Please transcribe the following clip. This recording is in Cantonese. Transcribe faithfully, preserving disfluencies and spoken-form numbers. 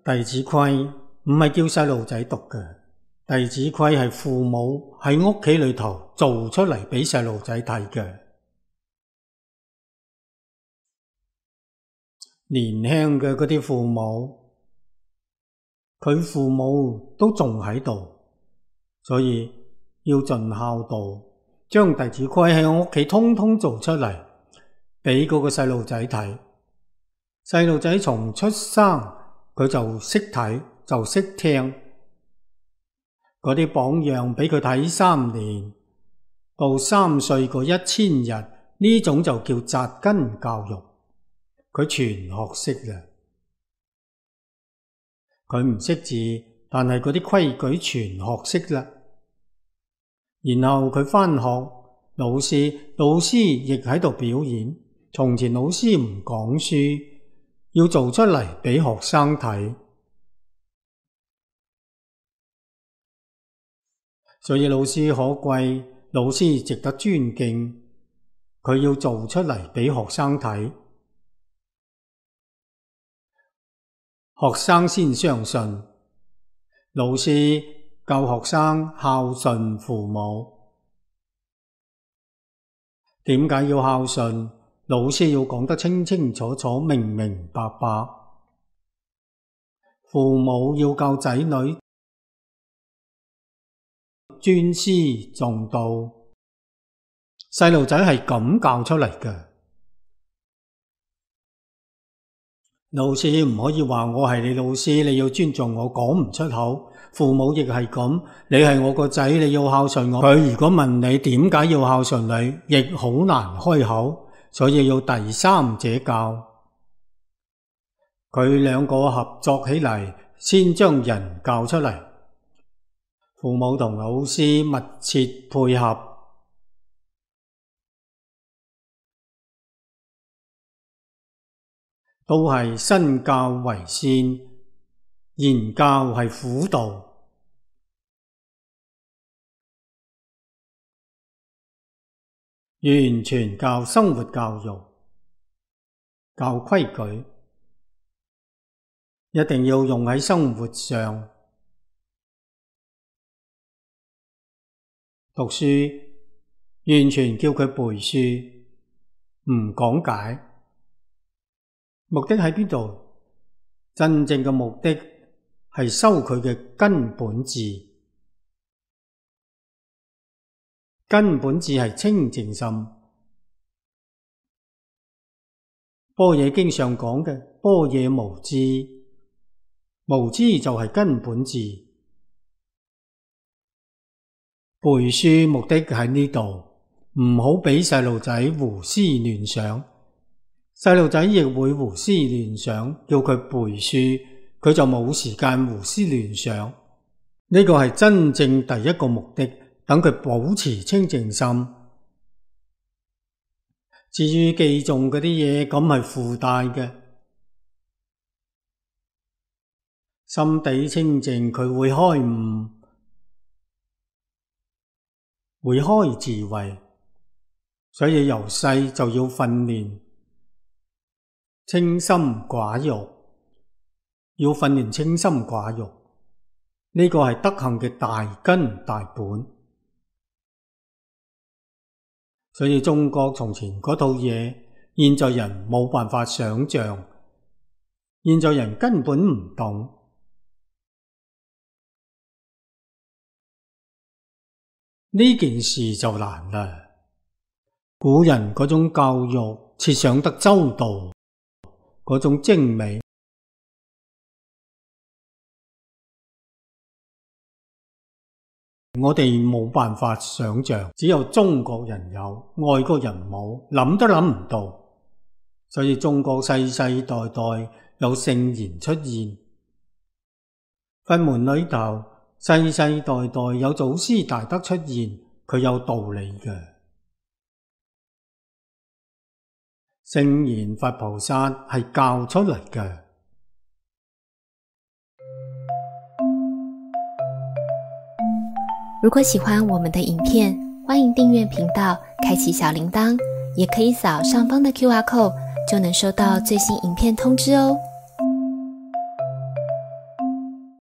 弟子規唔係叫細路仔讀嘅，弟子規係父母喺屋企裏頭做出嚟俾細路仔睇嘅。年輕嘅嗰啲父母，佢父母都仲喺度，所以要盡孝道，將弟子規喺屋企通通做出嚟，俾嗰個細路仔睇。細路仔從出生佢就識睇，就識聽，嗰啲榜樣俾佢睇三年，到三歲嗰一千日，呢種就叫扎根教育。佢全學識啦，佢唔識字，但係嗰啲規矩全學識啦。然後佢返學，老師老師亦喺度表演。從前老師唔講書，要做出嚟俾學生睇，所以老師可貴，老師值得尊敬。佢要做出嚟俾學生睇，學生先相信。老師教學生孝順父母，點解要孝順？老師要講得清清楚楚、明明白白。父母要教仔女尊師重道，細路仔係咁教出嚟嘅。老師唔可以話我係你老師，你要尊重我，講唔出口。父母亦係咁，你係我個仔，你要孝順我。佢如果問你點解要孝順你，亦好難開口。所以要第三者教，佢兩個合作起嚟，先將人教出嚟。父母同老師密切配合，都係身教為先，言教係輔導。完全教生活教育，教規矩，一定要用喺生活上。讀書完全叫佢背書，唔講解。目的喺邊度？真正嘅目的係修佢嘅根本智。根本智係清淨心。般若經上講嘅般若無知，無知就係根本智。背書目的喺呢度，唔好俾細路仔胡思亂想。細路仔亦會胡思亂想，叫佢背書，佢就冇時間胡思亂想。呢個係真正第一個目的。等佢保持清淨心。至於記誦嗰啲嘢，咁係附帶嘅。心地清淨，佢會開悟，會開智慧。所以由細就要訓練清心寡欲，要訓練清心寡欲。呢個係德行嘅大根大本。所以中國從前嗰套嘢，現在人冇辦法想象，現在人根本唔懂。呢件事就難啦。古人嗰種教育設想得周到，嗰種精美，我哋冇辦法想象，只有中國人有，外國人冇，諗都諗唔到。所以中國世世代代有聖賢出現，佛門裏頭世世代代有祖師大德出現，佢有道理嘅。聖賢佛菩薩係教出嚟嘅。如果喜歡我們的影片，歡迎訂閱頻道，開啟小鈴鐺，也可以掃上方的 Q R code，就能收到最新影片通知哦。